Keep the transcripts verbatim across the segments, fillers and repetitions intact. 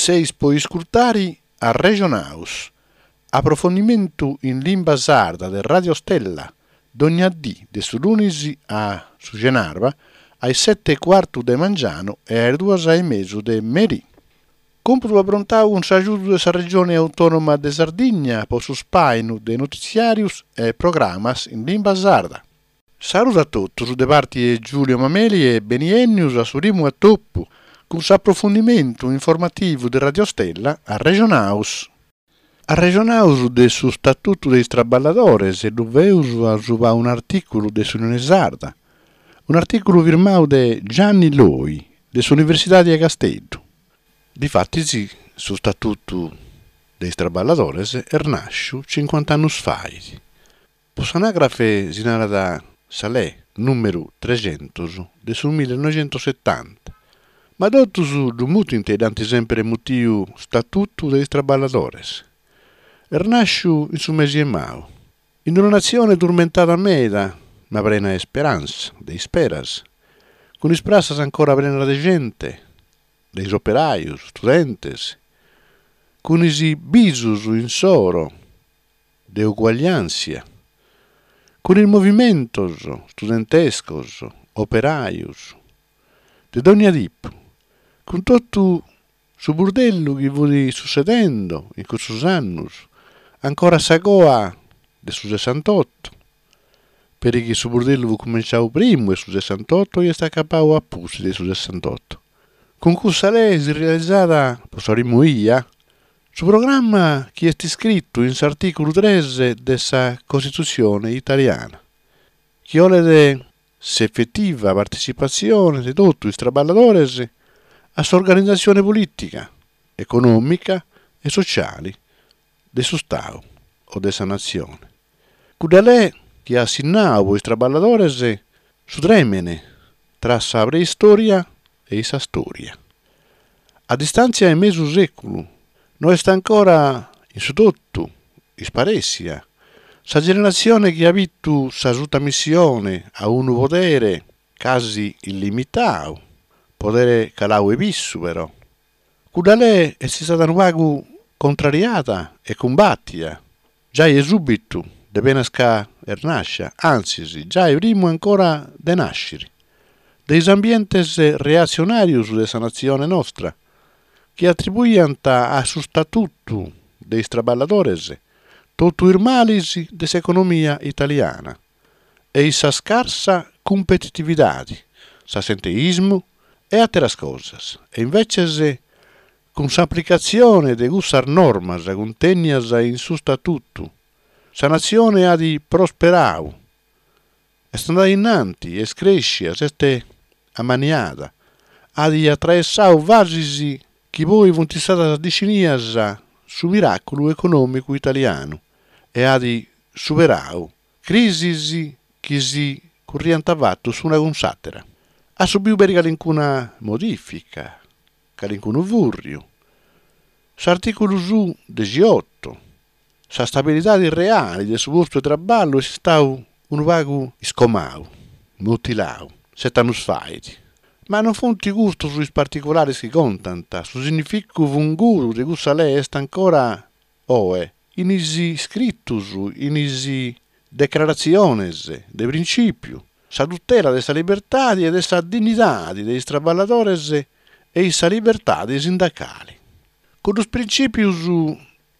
Seis po iscurtare Arrejonaus, aprofundimentu in limba sarda de Radio Stella, dogna die de su lunis a su chenàbura a is sete e cuartu de mangianu e a is duas e mesu de merie. Còmpudu aprontadu cun s'agiudu de sa Regione Autònoma de Sardigna pro su ispàinu de notitziàrios e programmas in limba sarda. Saludu a totus de parte de Giulio Mameli e beniènnidos a su primu atopu cun s'aprofundimentu informativu de Radio Stella Arrejonaus. Arrejonaus de su Statutu de is Traballadores e ddu faeus a subra un'artìculu de s'Unione Sarda, un'artìculu firmadu de Gianni Loy de s'Universidade de Casteddu. Difatis su Statutu de is Traballadores est nàschidu chincuanta annos faghet. Pro s'anàgrafe si narat sa Lege nùmeru treghentos de su millenoighentos setanta, ma totus ddu mutint e dd'ant semper mutidu Statutu de is Traballadores. Est nàschidu in su mese de maju, in una natzione turmentada meda, ma prena de isperàntzia, de isperas, cun is pratzas ancora prenas de gente, de is operajos, istudentes, cun is bisos issoro de uguagliàntzia, cun is movimentos istudentescos, operajos, de dogna tipu, cun totu su burdellu chi fiat sutzedende in cussos annos, ancora sa coa de su sessantoto, peri chi su burdellu fiat cumintzadu primu de su sessantoto e est acabadu a pustis de su sessantoto. Cun cussa lege si realizat, pro sa primu bia, su programma chi est iscritu in s'artìculu tres de sa Costitutzione italiana, chi bolet s'efetiva partetzipatzione de totu is traballadores a s'organizatzione polìtica, econòmica e sotziale de su Istadu o de sa natzione. Cudda lege chi at sinnadu pro is traballadores su trèmene tra sa preistòria e sa istòria. A distàntzia de mesu sèculu no est ancora in su totu isparèssida sa generatzione chi at bidu sa sutamissione a unu podere casi illimitadu, podere caladu 'e pisu però. Cudda lege est istada unu pagu contrariada e cumbatida, giai subitu, de penas ca est nàschida, antzis, giai primu ancora de nàschere, de is ambientes reatzionàrios de sa natzione nostra, chi atribuiant a su Statutu de is Traballadores totu is males de s'economia italiana e sa scarsa cumpetitividade, s'assenteismu e àteras cosas. E imbetzes, cun s'aplicatzione de cussas normas cuntènnidas in su Statutu, sa natzione at prosperadu, est andada in antis, est crèschida, s'est ammaniada, at atraessadu fases chi poi sunt istadas definidas su miràculu econòmicu italianu e at superadu crisis chi si curriant fatu s'una cun s'àtera. At subidu peri calicuna modìfica, calicunu fùrriu. S'artìculu su degheoto, sa stabilidade reale de su postu de traballu est istadu unu pagu iscomadu, mutiladu, sete annos faghet. Ma non sunt custos is particulares chi contant, su significu fungudu de cussa lege est ancora oe in is iscritos, in is decraratziones de printzìpiu, sa tutela de sa libertade e de sa dignidade de is traballadores e sa libertade sindacale. Cuddos printzìpios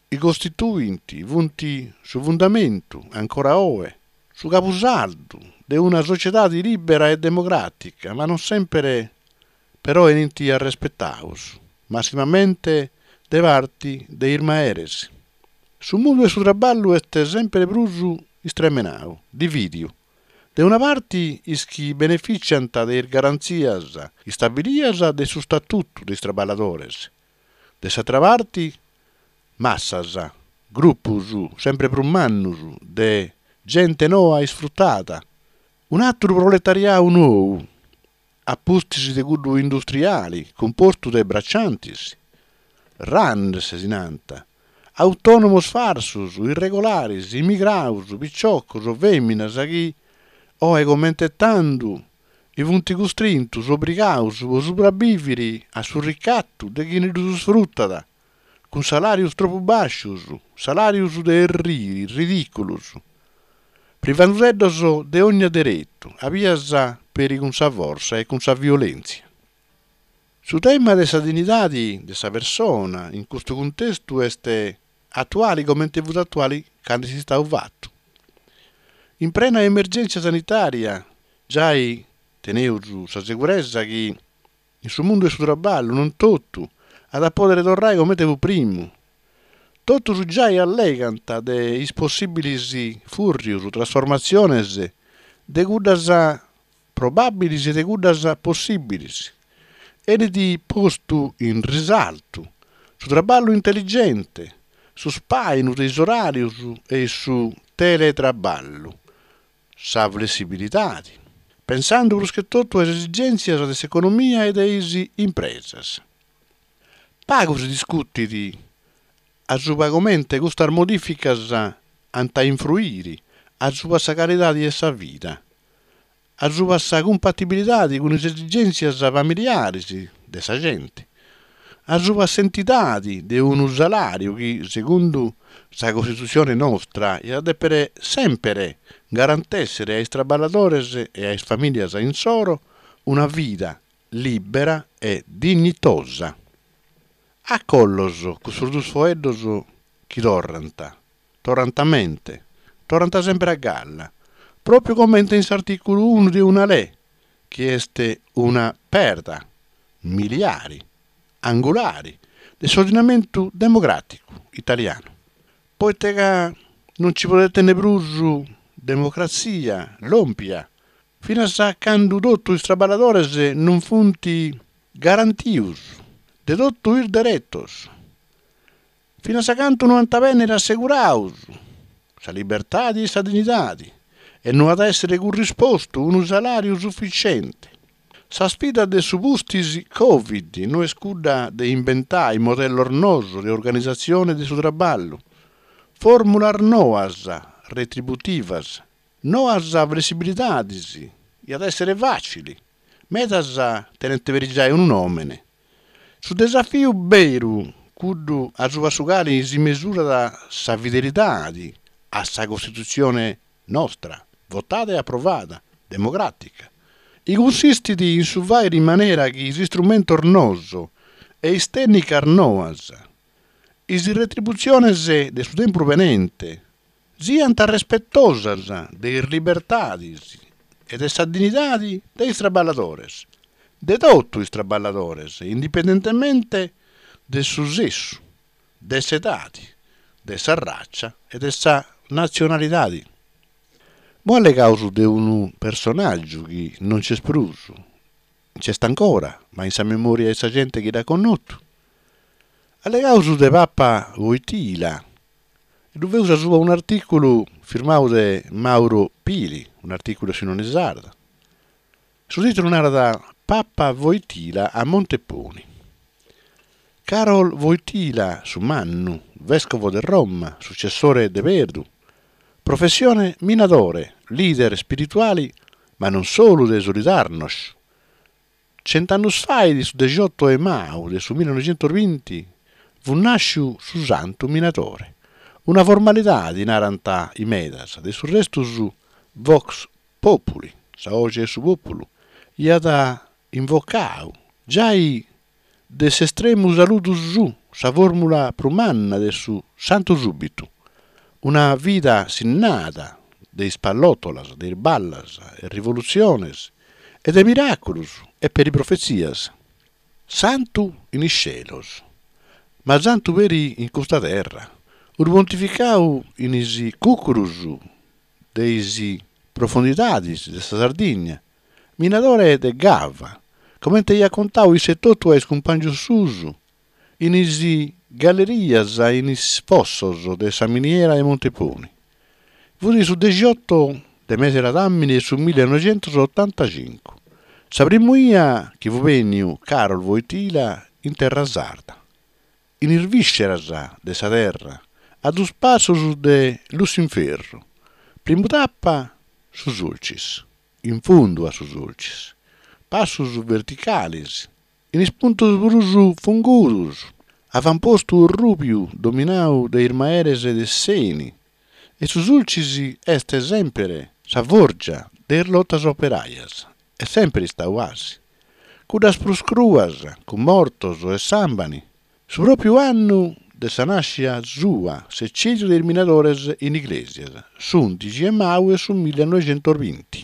chi costituint, sunt su fundamentu, ancora oe, su cabusaldu de una sotziedade lìbera e democràtica, ma non semper però benint arrespetados, massimamente de parte de is meres. Su mundu de su traballu est semper prus istremenadu, divìdidu. De una parte is chi benefìtziant de is garantzias istabilidas de su Statutu de is Traballadores, de s'àtera parte massas, grupos semper prus mannos de gente noa isfrutada, un'àteru proletariadu nou, a pustis de cuddu industriale cumpostu de bracciantes, runners si nant, autònomos farsos, irregulares, immigrados, pitzocos, fèminas chi, oe comente tando, Chi funt custrintus, obrigaus po subrabìvere a su ricatu de chie ddos isfrutat, cun salàrios tropu bàscios, salàrios de errire, ridìculos, privende·ddos de ogna deretu, a bias peri cun sa fortza e cun sa violèntzia. Su tema de sa dignidade de sa persone in custu cuntestu est atuale comente fiat atuale cando est istadu fatu. In prena emergèntzia sanitària, giai tenimus sa seguresa chi in su mundu de su traballu non totu at a pòdere torrare comente fiat primu. Totus giai allegant de is possìbiles fùrrios, trasformatziones, de cuddas probàbiles e de cuddas possìbiles. Benit postu in risaltu su traballu intelligente, su ispàinu de is oràrios e su teletraballu, sa flessibilidade, pensende prus che totu a is esigèntzias de s'economia e de is impresas. Pagu si discutit a subra comente custas modìficas ant a influire a subra sa calidade de sa vida, a subra sa cumpatibilidade cun is esigèntzias familiares de sa gente, a subra s'entidade de unu salàriu chi, segundu sa Costitutzione nostra, diat dèpere semper garantèssere a is traballadores e a is famìlias issoro una vida lìbera e dignitosa. Acollos custos duos faeddos chi torrant, torrant a mente, torrant semper a galla, pròpiu comente in s'artìculu unu de una lege, chi est una perda miliare, angulare, de s'ordinamentu democràticu italianu. Pro ite ca non si podet tènnere prus democratzia lòmpia finas a cando totu is traballadores non sunt garantidos de totu is deretos, finas a cando no ant a bènnere assegurados sa libertade e sa dignidade e no at a èssere currispostu unu salàriu sufitziente. Sa isfida de su pustis Covid no est cudda de imbentare modellos noos de organizatzione de su traballu, fòrmulas noas retributivas, noas flessibilidades, diat èssere fàtzile, medas tenent peri giai unu nòmene. Su disafiu beru, cuddu a subra su cale si mesurat sa fidelidade a sa Costitutzione nostra, votada e aprovada, democràtica, chi cunsistit in su fàghere in manera chi is istrumentos noos e is tècnicas noas, is retributziones de su tempus benente, siant respetosas de is libertades e de sa dignidade de is traballadores, de totu is traballadores, indipendentemente de su sessu, de s'edade, de sa ratza e de sa natzionalidade. Como allegamus de unu personàgiu chi non nch'est prus, nch'est ancora, ma in sa memòria de sa gente chi l'at connotu. Allegamus de Papa Wojtyla, e ddu faeus subra un'artìculu firmadu de Mauro Pili, un'artìculu de s'Unione Sarda. Su tìtulu narat Papa Wojtyla a Monteponi. Karol Wojtyla, su mannu, vèscovo de Roma, sutzessore de Pedru, professione minadore, leader ispirituale, ma non solu de Solidarnosc. Chent'annos faghet, su degheoto de maju de su millenoighentos binti, fiat nàschidu su santu minadore. Una formalidade, narant in medas, de su restu su Vox Populi, sa boghe de su pòpulu, aiat invocadu, giai de s'estremu saludu suo, sa fòrmula prus manna de su santu subitu. Una vida sinnada de is pallòtolas, de is ballas e rivolutziones e de miràculos e peri profetzias. Santu in is chelos, ma santu peri in custa terra. Unu pontificadu in is cùcuros de is profundidades de sa Sardigna, minadore de gava, comente aiat contadu isse etotu a is cumpàngios suos, in is gallerias e in is fossos de sa miniera de Monteponi. Fiat su degheoto de mese ladàmene de su millenoighentos otantacinco, sa primu 'ia chi fiat bènnidu Karol Wojtyla in terra sarda. In is vìsceras de sa terra, a duos passos de Lussinferru. Primu tapa su Sulcis, in fundu a su Sulcis. Passus verticalis, in is puntus prus fungudus, avampostu orrùbiu dominadu dae is mares de s'ENI, e su Sulcis est semper sa fòrgia de is lotas operajas, est semper istadu gasi. Cuddas prus cruas, cun mortos e sàmbene, su pròpiu annu de sa nàschida sua, s'eccèdiu de is minadores in Iglesias, s'ùndighi de maju de su millenoighentos binti.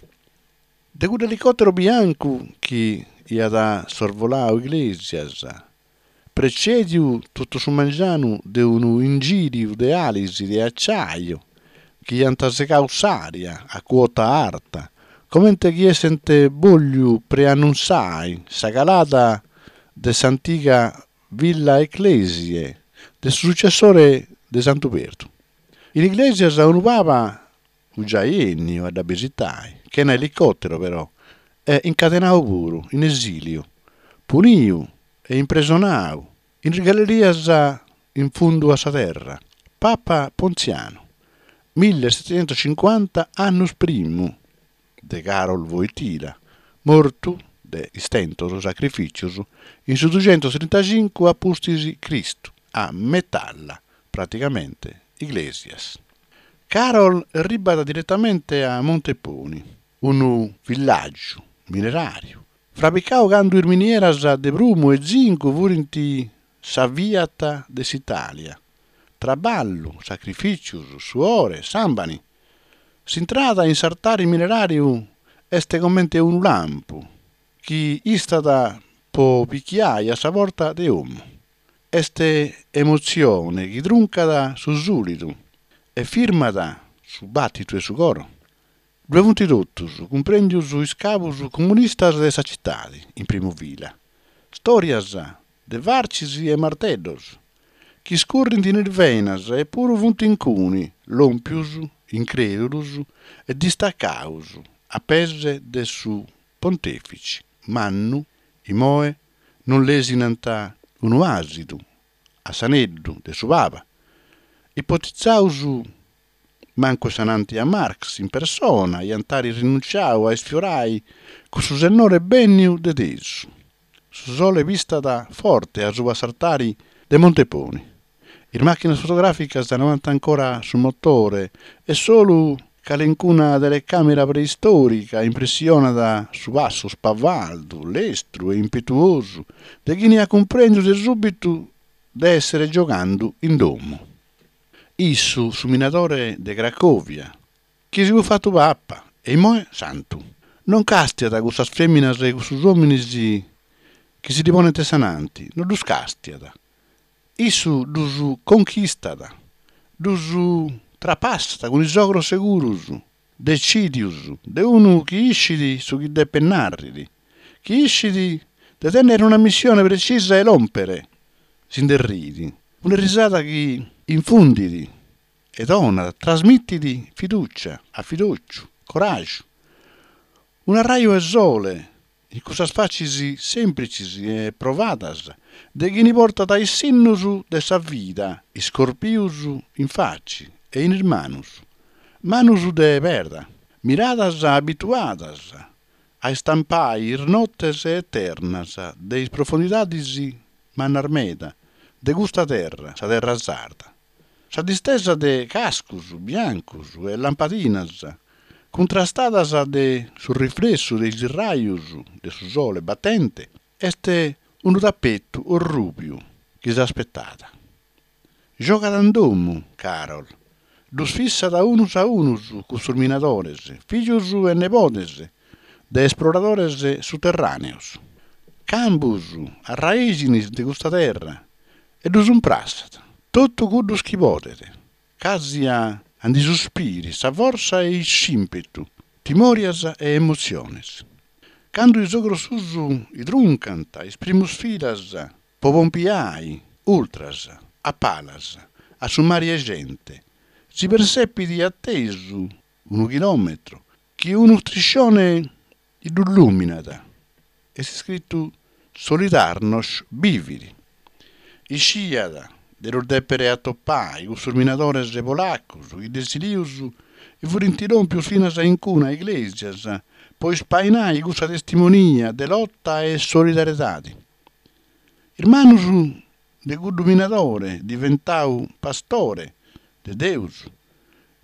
De cuddu elicòteru biancu chi aiat sorvoladu Iglesias, pretzèdidu totu su mangianu de unu inghìriu de alas de àciu chi ant segadu s'ària a cuota arta, comente chi esserent bòlidu preannuntziare sa calada de s'antiga Villa Ecclesiae de su sutzessore de Santu Perdu. In Iglesias unu Paba fiat giai bènnidu a dda bisitare, chena elicòteru però, e incadenadu puru, in esìliu, punidu e impresonadu in is gallerias in fundu a sa terra, Papa Pontzianu, millesetechentoschincuanta annos primu de Karol Wojtyla, mortu de istentos e sacrifìtzios in su dughentos trintacincu a pustis Cristu, a Metalla, praticamente Iglesias. Karol arribat diretamente a Monteponi, unu villàgiu mineràriu, fraigadu cando is minieras de prumu e zincu fiant sa Fiat de s'Itàlia. Traballu, sacrifìtzios, suore, sàmbene. S'intrada in s'artare mineràriu est comente unu lampu chi istat pro pichiare a sa porta de domo. Est emotzione chi truncat su sùlidu e firmat su bàtidu de su coro. Ddoe sunt totus, cumprèndidos is capos comunistas de sa tzitade, in primu fila. Istòrias de fartzes e marteddos, chi iscurrent in is benas e puru sunt in cue, lòmpidos, incrèdulos e distacados, a pees de su pontèfitze mannu immoe non lèsinant unu àsidu a s'aneddu de su Papa. Ipotizados mancu s'ananti a Marx in persona iant àere rinuntziadu a isfiorare cussu sennore bènnidu de tesu. Su sole pistat forte a subra s'artare de Monteponi. Is màchinas fotogràficas no ant ancora su motore e solu calicuna telecàmera preistòrica impressionat su passu spavaldu, lestru e impetuosu de chie at cumprèndidu de sùbitu de èssere gioghende in domo. Issu, su minadore de Cracòvia, chi si fiat fatu papa e immoe santu. Non càstiat cussas fèminas e cussos òmines chi si li ponent s'ananti, non ddos càstiat. Issu ddos conchistat, ddos trapassat cun is ogros seguros, detzìdidos, de unu chi ischit su chi depet nàrrere, chi ischit de tènnere una missione pretzisa e lòmpere. Si nde riet, una risada chi infundet e donat, trasmitit fidùtzia, afidòciu, coràgiu. Un'arraju 'e sole in cussas fatzes sèmplitzes e provadas de chie portat is sinnos de sa vida iscorpidos in fatze e in is manos, manos de perda, miradas abituadas a istampare is notes eternas de is profundidades mannas meda de custa terra, sa terra sarda. Sa distesa de cascos biancos e lampadinas, cuntrastadas dae su riflessu de is rajos de su sole batente, est unu tapetu rùbiu chi s'aspetat. Giogat in domo, Karol. Ddos fissat a unos a unos cussos minadores, fìgios e nebodes de esploradores suterràneos. Cambos, arraìghines de custa terra, e ddos imprassat, totu cuddos chi podet, casi a nde suspire sa fortza e s'ìmpetu, timòrias e emotziones. Cando is ogros suos truncant is primos filas pro pompiare, ultras, a palas, a su mare 'e gente, si pertzepit a tesu, unu chilòmetru, chi unu striscione dd'illùminat. Est iscritu Solidarnosc bivit. Isciat de ddos dèpere atopare cussos minadores polacos chi de esilios Furint lòmpios finas a incune a Iglesias pro ispainare cussa testimonia de lota e solidariedade. Is manos de cuddu minadore diventadu pastore de Deus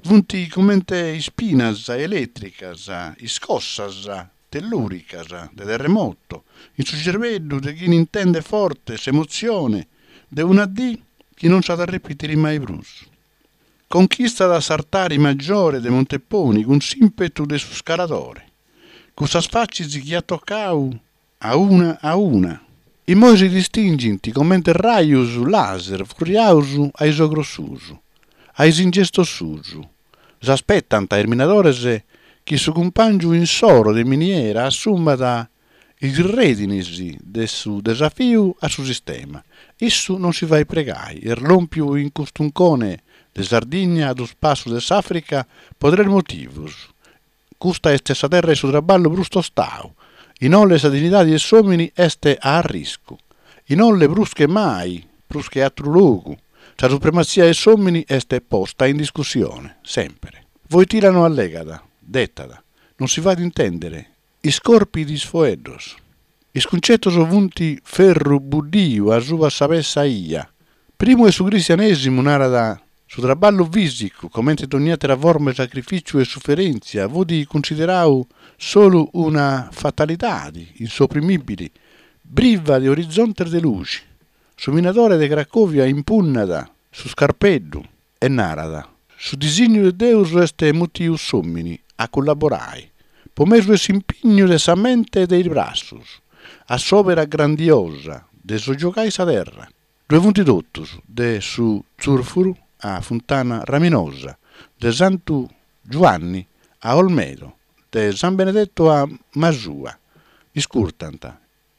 sunt comente ispinas elètricas, iscossas tellùricas de terremoto in su cherbeddu de chie intendet forte s'emotzione de una die chi non s'at a repìtere mai prus. Conchistat s'altare majore de Monteponi cun s'ìmpetu de s'iscaladore. Cussas fatzes chi at tocadu a una a una, immoe si distinghent comente rajos laser furriados a sos ogros suos, a sos ingestos suos. S'aspetant is minadores chi su cumpàngiu issoro de miniera assumat is rèdines de su disafiu a su sistema. Issu non si faghet pregare, est lòmpidu in custu uncone de Sardigna a duos passos dae s'Àfrica pro tres motivos. Custa est sa terra de su traballu prus tostadu, inoghe sa dignidade de s'òmine est a arriscu, inoghe prus che mai, prus che àteru logu, sa suprematzia de s'òmine est posta in discussione, semper. Wojtyla no allegat, detat, non si faghet intèndere, iscorpit is faeddos. Is cuntzetos sunt ferru buddidu a subra sa petza bia. Primu de su cristianèsimu, narat, su traballu fìsicu, comente ogni àtera forma de sacrifìtziu e suferèntzia, fiat cunsideradu solu una fatalidade insoprimìbile, briva de orizontes de lughe. Su minadore de Cracòvia impunnat su scarpeddu e narat: su disinnu de Deus est mutidu s'òmine a collaborare, pro mesu de s'impignu de sa mente e de is bratzos, a s'òpera grandiosa de sogiugare sa terra. Ddoe sunt totus, de su Tzùrfuru a Funtana Raminosa, de Santu Giuanne a Olmedo, de San Benedetto a Masua. Iscurtant,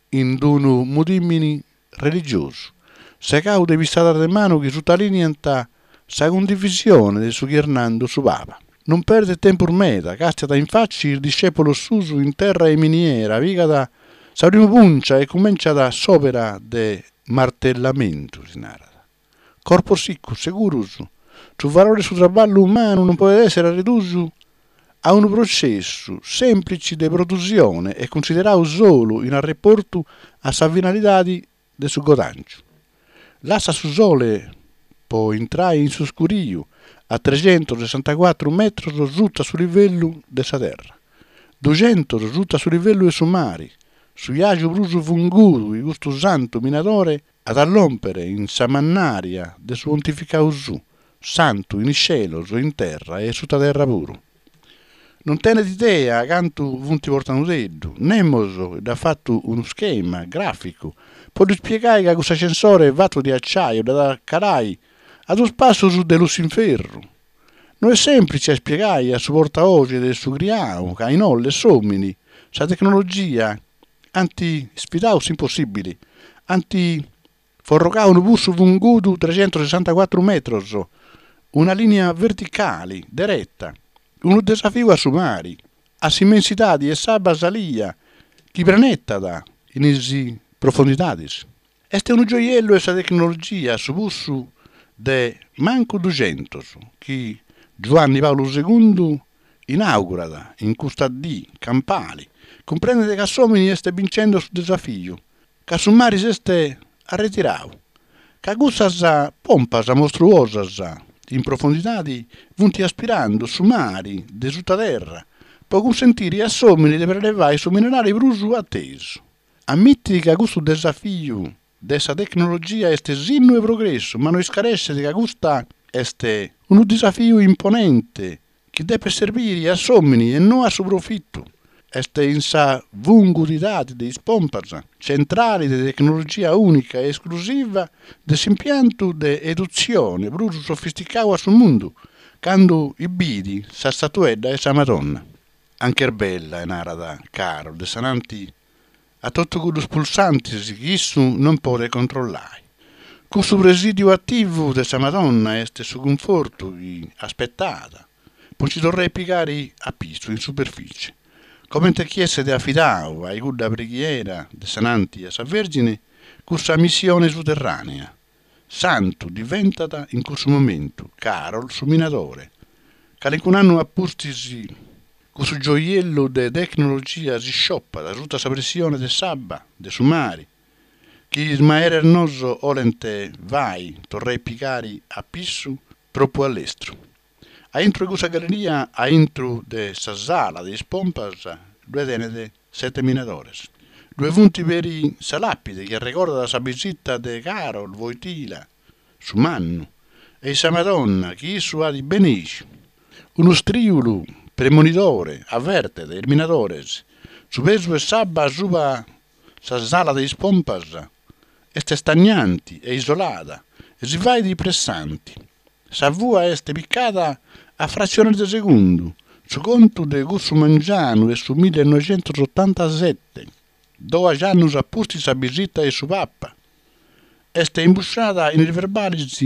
in unu mudìmene religiosu, segadu dae pistadas de manu chi sutalìniant sa cundivisione de su chi est nende su Papa. Non perdet tempus meda, càstiat in fatze is discèpulos suos in terra de miniera, pigat sa primu pùncia e cumintzat s'òpera de martellamentu, si narat. Corpos sicos, seguros, su valore de su traballu umanu non podet èssere reduidu a unu protzessu sèmplitze de produtzione e cunsideradu solu in reportu a sa finalidade de su guadàngiu. Lassat su sole pro intrare in s'iscuriu a treghentos sessantacuatro metros suta su livellu de sa terra, dughentos suta su livellu de su mare, su biàgiu prus fungudu chi custu santu minadore at a lòmpere in sa mannària de su pontificadu suo, santu in chelos, in terra e suta terra puru. Non tenet idea cantu sunt portende·ddu, nemos dd'at fatu unu ischema gràficu pro dd'ispiegare ca cuss'ascensore fatu de atzàriu dd'at a calare a duos passos dae Lussinferru. No est sèmplitze a ispiegare a su portaboghe de su criadu ca inoghe s'òmine, sa tecnologia, ant isfidadu s'impossìbile, ant forrogadu unu putzu fungudu treghentos sessantacuatro metros, una lìnia verticale, dereta, unu disafiu a su mare, a s'immensidade de s'abba salida chi prenettat in is profundidades. Est unu gioiellu de sa tecnologia su putzu de mancu dughentos chi Giuanne Pàulu segundu inàugurat in custa die campale, cumprendet ca s'òmine est binchende su disafiu, ca su mare s'est retiradu, ca cussas pompas mostruosas in profundidade sunt aspirende su mare de suta terra pro cunsentire a s'òmine de prelevare su minerale prus a tesu. Ammitit ca custu disafiu de sa tecnologia est sinnu de progressu, ma no iscaresset ca custa est unu disafiu imponente chi depet servire a s'òmine e no a su profitu. Est in sa fungudidade de is pompas, tzentrale de tecnologia ùnica e esclusiva de s'impiantu de eduzione prus sofisticadu a su mundu, cando bidet sa istatuedda de sa Madonna. Anch'est bella, narat Karol de ananti a totu cuddos pulsantes chi issu non podet controllare. Cussu presìdiu ativu de sa Madonna est su cunfortu chi aspetat pro nche torrare a pigare a pitzu in superfìtzie. Comente chi esseret afidadu a cudda preghiera de ananti a sa Vèrgine cussa missione suterrànea. Santu diventat in cussu momentu Karol su minadore. Calincunu annu a pustis cussu gioiellu de tecnologia si sciopat suta sa pressione de s'abba de su mare, chi is mares nostros cherent fàghere torrare pigare a pìgiu tropu a lestru. A intro de cussa galleria, a intro de sa sala de is pompas, ddoe tenet sete minadores. Ddoe sunt peri sa làpide chi regordat sa bìsita de Karol Wojtyła, su mannu, e sa Madonna chi issu at beneìghidu. Unu istrìulu premonidore avertet is minadores: su pesu de s'abba subra sa sala de is pompas est istagnante e isolada e si faghet pressante. Sa fua est pigada a fratziones de segundu, su contu de cussu mangianu de su millenoighentosotanta-sete, dòighi annos a pustis sa bìsita de su Papa, est imbusciada in is verbales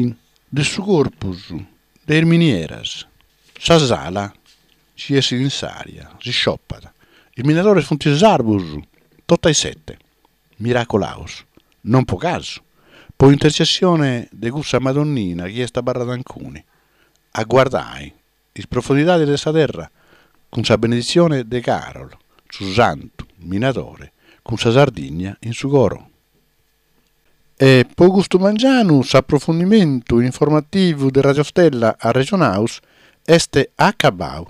de su Corpus de is minieras. Sa sala nch'essit in s'ària, s'isciopat. Is minadores sunt sarvos, totu e sete, miraculados. Non pro casu, pro intertzessione de cussa Madonnina chi est abarrada in cue, a gardare is profundidades de sa terra, cun sa beneditzione de Karol, su santu minadore cun sa Sardigna in su coro. E pro custu mangianu s'aprofundimentu informativu de Radio Stella Arrejonaus est acabadu.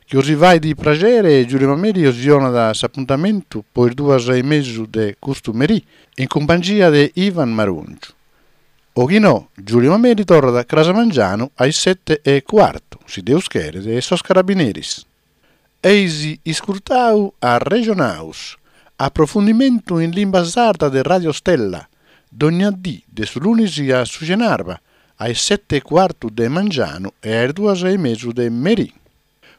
Chi bos faghet praghere, Giulio Mameli bos donat s'apuntamentu pro is duas e mesu de custu merì, in cumpangia de Ivan Marongiu. O chi no, Giulio Mameli torrat cras mangianu a is sete e cuartu, si Deus cheret, e sos carabineris. Eis iscurtadu Arrejonaus, aprofundimentu in limba sarda de Radio Stella, dogna die de su lunis a su chenàbara, a is sete e cuartu de mangianu e a is duas e mesu de merì.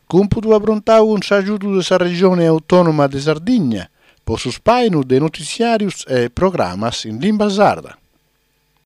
Còmpudu aprontadu cun s'agiudu de sa Regione Autònoma de Sardigna pro su ispàinu de notitziàrios e programmas in limba sarda.